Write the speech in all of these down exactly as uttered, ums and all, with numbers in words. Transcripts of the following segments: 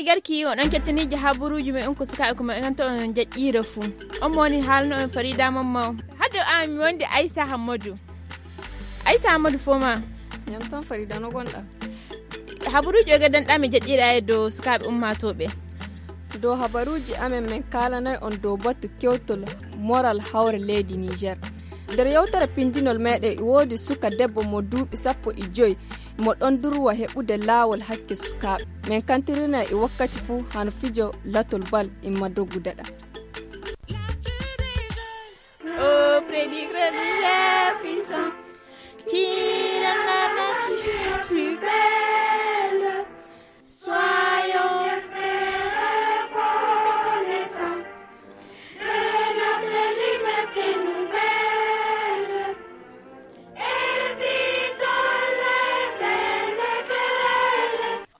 garki on kettiniji haburuji me on ko suka ko en to on jajjira fu on moni halno en Farida mamma hado am wonde Aisha Hammadu Aisha Hammadu foma yan ton Farida no gonda haburuji ga dan dame jajjira e do suka be ummatobe do habaruji amen men kala nay on do batu kewtol moral hawre lady Niger der yawtara pindinol mede wodi suka debbo mo duubi sappo e joy mo don durwa hebude lawol hakke suka men kantirina e wakkati fu han fijo latol bal e madogu dada oh prédigre du puissant tire la nature plus belle soyons frères reconnaissants de notre liberté nouvelle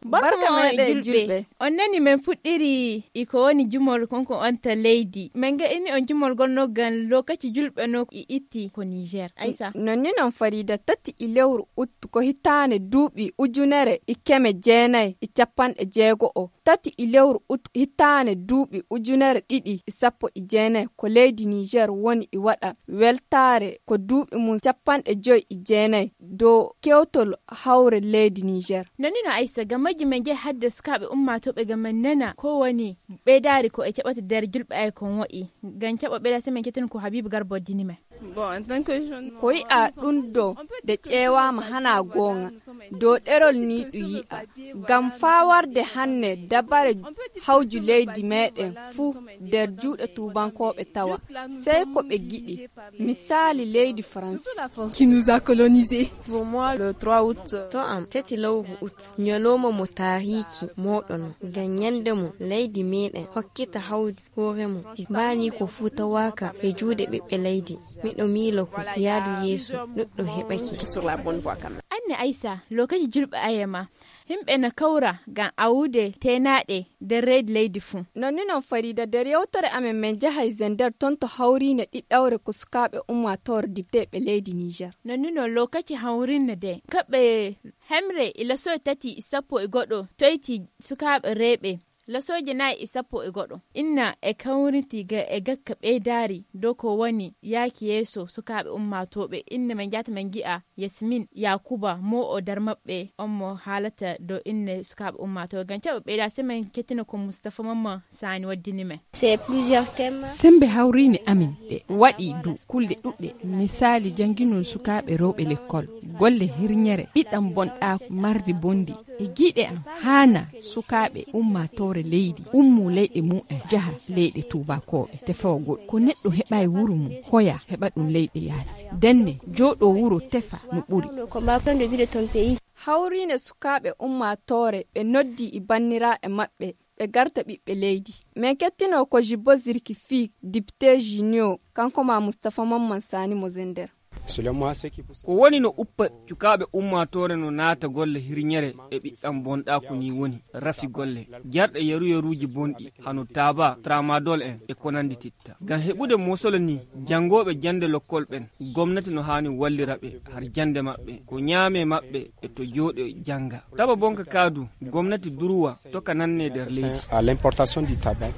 barka mai julbe on nani men fuddiri iko woni jumol konko onta lady men ga ini on jumol gonno gan lokaci julbe no itti ko Niger Aisha nonni non Farida tati ilewru ut ko hitane duubi ujunere ikeme jeenay e capan e jeego o tati ilewru ut hitane duubi ujunere didi e sappo e jeenay ko lady Niger woni e wada weltare ko duubi mun capan e joy e jeenay do kewtol hawre lady Niger nonni no Aisha gamaji men je hadde sukabe umma to be gamen nana ko woni be dari ko e cabata der julbe ay kon woi gan cabo be da semen ketin ko Habibu Garbo dinime bon en tant que jeune ko yi a dundo de cewa ma hana gonga do derol ni du yi a gam fawarde hanne dabare hawju lady meden fu der juude tubankobe tawa sai ko be gidi misali lady France qui nous a colonisé pour moi le trois août to am teti lawu ut nyoloma mo tariki modon ganyande mo lady meden hokkita hawdi hore mo bani ko futa waka e juude bebbe lady mido milo ko yaadu yesu duddo hebaki sur la bonne voie quand même anne Aisha lokaci julbe ayema himbe na kaura gan awude tenade de red lady fu nonni non Farida der yawtare amen men jahay zender tonto hawrine diddawre ko sukabe umma tor dibte be lady Niger nonni no lokaci hawrine de kabe hemre ila so tati isapo e godo toyti sukabe rebe la soje na isapo e godo inna e kawriti ga e gakka be dari doko woni yaki yeso sukabe ummatobe inna men jata men gi'a Yasmin Yakuba mo o dar mabbe ommo halata do inne sukabe ummato ganca be da semen ketina ko Mustafa Mamma Sani waddini me c'est plusieurs thèmes sembe hawrini amin be wadi du kulde dudde misali jangino sukabe robe l'école golle hirnyere bidam bonda mardi bondi e gide am hana sukabe ummatore leydi ummu leyde mu e jaha leyde tubakobe te fawgol ko neddo heba e wuro mu hoya heba dum leyde yasi denne jodo wuro tefa no buri hawrine sukabe ummatore be noddi i bannira e mabbe be garta bibbe leydi men kettino ko Jibbo Zirki fi député junior kanko ma Mustafa Mamman Sani Mozender ko woni no uppa cukaɓe ummatore no naata golle hirñere e ɓiɗɗam bonɗa ko ni woni rafi golle jarɗe yeru yeruji bonɗi hano taba tramadol en e ko nandi titta ngam heɓude mosolo ni jangoɓe jande lokkol ɓen gomnati no hani wallira ɓe har jande maɓɓe ko ñaame maɓɓe e to jooɗe janga taba bonka kaadu gomnati durwa toka nanne nder leydi à l'importation du tabac.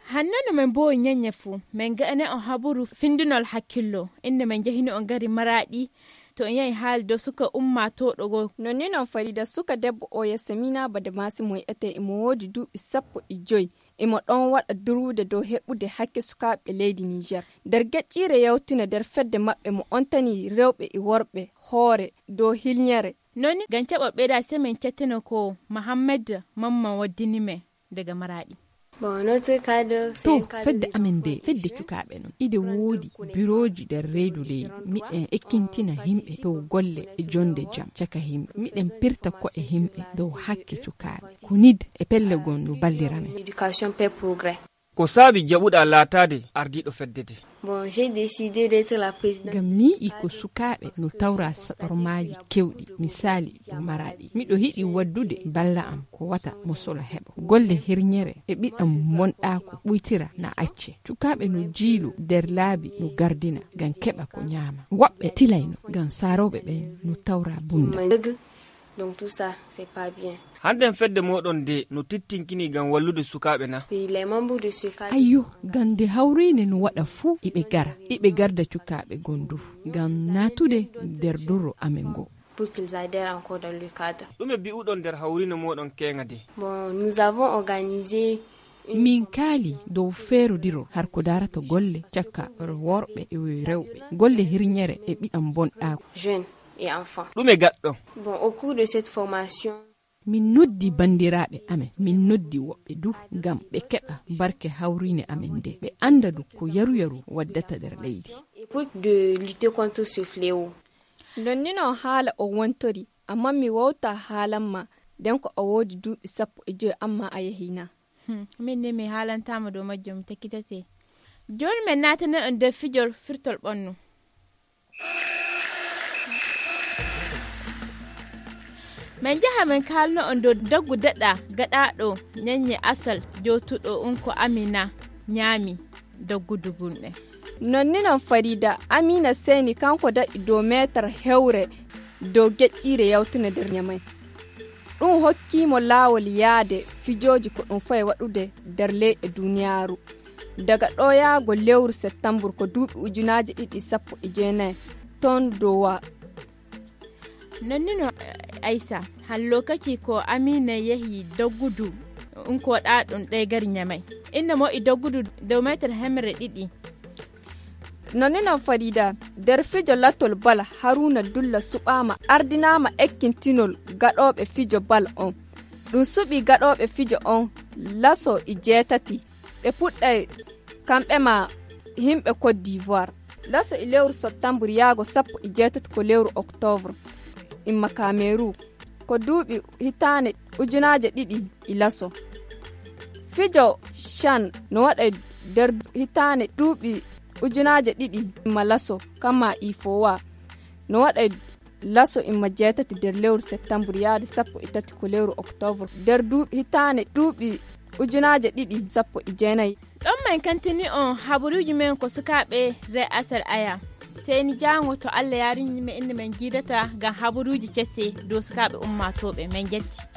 hannano men bo nyanya fu men ga ene on haburu findunol hakkillo inde men jehini on gari maradi to on yayi hal do suka umma to dogo nonni non Farida suka debbo o Yasamina bade masi moy ete e mo wodi dubi sappo e joy e mo don wada durude do hebude hakke sukabe leydi Niger der gaccire yawtina der fedde mabbe mo ontani rewbe e worbe hoore do hilnyere nonni gancaba beda semen cetteno ko Muhammad Mamman waddini me daga maradi bon notre cadre to fedde amende fedde cukabe non ide wodi biroji der reedu ley miden ekkintina himbe to golle e jonde jam caka himbe miden pirta ko e himbe do hakke cukabe kunid e pelle gondu ballirame éducation per progrès ko saabi jaɓuɗa laatade ardiɗo feddete. Bon, j'ai décidé d'être la présidente. Gam ni iko sukaɓe no tawra saɗormaji kewɗi misali ɗo maraɗi miɗo hiɗi waddude balla am ko wata mo solo heɓa golle hirñere e ɓiɗɗam bonɗako ɓuytira na acce cukaɓe no jiilu nder laabi no gardina gam keɓa ko ñaama woɓɓe tilayno gam saroɓe ɓen no tawra bunda. Donc tout ça c'est pas bien. Handen fedde moɗon de no tittinkini gam wallude sukaɓe na. Les membres de ce cadre. Ayyo gande hawrine no waɗa fuu iɓe gara iɓe garda cukaɓe gondu gam natude nder duro amen go. Pour qu'ils adhèrent encore dans le cadre. Ɗume bi'uɗon nder hawrine moɗon kenga de. Bon, nous avons organisé min kaali dow feerodiro har ko darata golle cakka worɓe e rewɓe golle hirñere e ɓiɗam bonɗako jeunes et enfants. Ɗume gaɗɗo. Bon, au cours de cette formation min noddi bandiraɓe amen min noddi woɓɓe du gam ɓe keɓa barke hawrine amen nde ɓe anda du ko yaru yaru waddata nder leydi. Et pour de lutter contre ce fléau. Don ni non haala o wontori amma mi wawta haalanma den ko o woodi duuɓi sappo e joyi amma a yahina. Hmm. min ne mi haalantama dow majjum mi tekkitate joni min natana on nder fijol firtol ɓannu. min jaha min kalno on dow daggu daɗa gaɗaɗo ñanye asal jotuɗo on ko Amina ñaami daggudu bunɗe. Nonni non Farida Amina Seni kanko daɗi dow metar hewre dow geƴƴire yawtune nder ñamay ɗum hokkimo laawol yaade fijoji ko ɗum fayi waɗude nder leyɗe duniyaaru daga ɗo yaago lewru septembre ko duuɓi ujunaje ɗiɗi sappo e jeenayi ton dowa. Nonnino Aisa har lokaci ko Amina yahi daggudu in ko ɗaɗum ɗaya gari ñamay inda mo i daggudu dow metar hemre ɗiɗi. Nonni non Farida nder fijo lattol bal Haruna Dulla suɓama ardinama ekkintinol gaɗoɓe fijo bal on ɗum suɓi gaɗoɓe fijo on laso e jeetati ɓe puɗɗay kamɓe ma himɓe Côte d'Ivoire laso e lewru septembre yaago sappo e jeetati ko lewru octobre imma Cameroun ko duuɓi hitane ujunaje ɗiɗi e laso fijo chan no waɗa nder hitane duuɓi ujunaje ɗiɗi imma laso kama ifowa no waɗa laso imma jeetati nder lewru septembre yaade sappo e tati ko lewru octobre nder duuɓi hitane duuɓi ujunaje ɗiɗi sappo e jeenayi. ɗon man kantini on habaruji men ko sukaɓe re asal aya seni jango to Allah yarini men inde men jidata gam habaruji cesse dow sukaɓe ummatoɓe men jetti.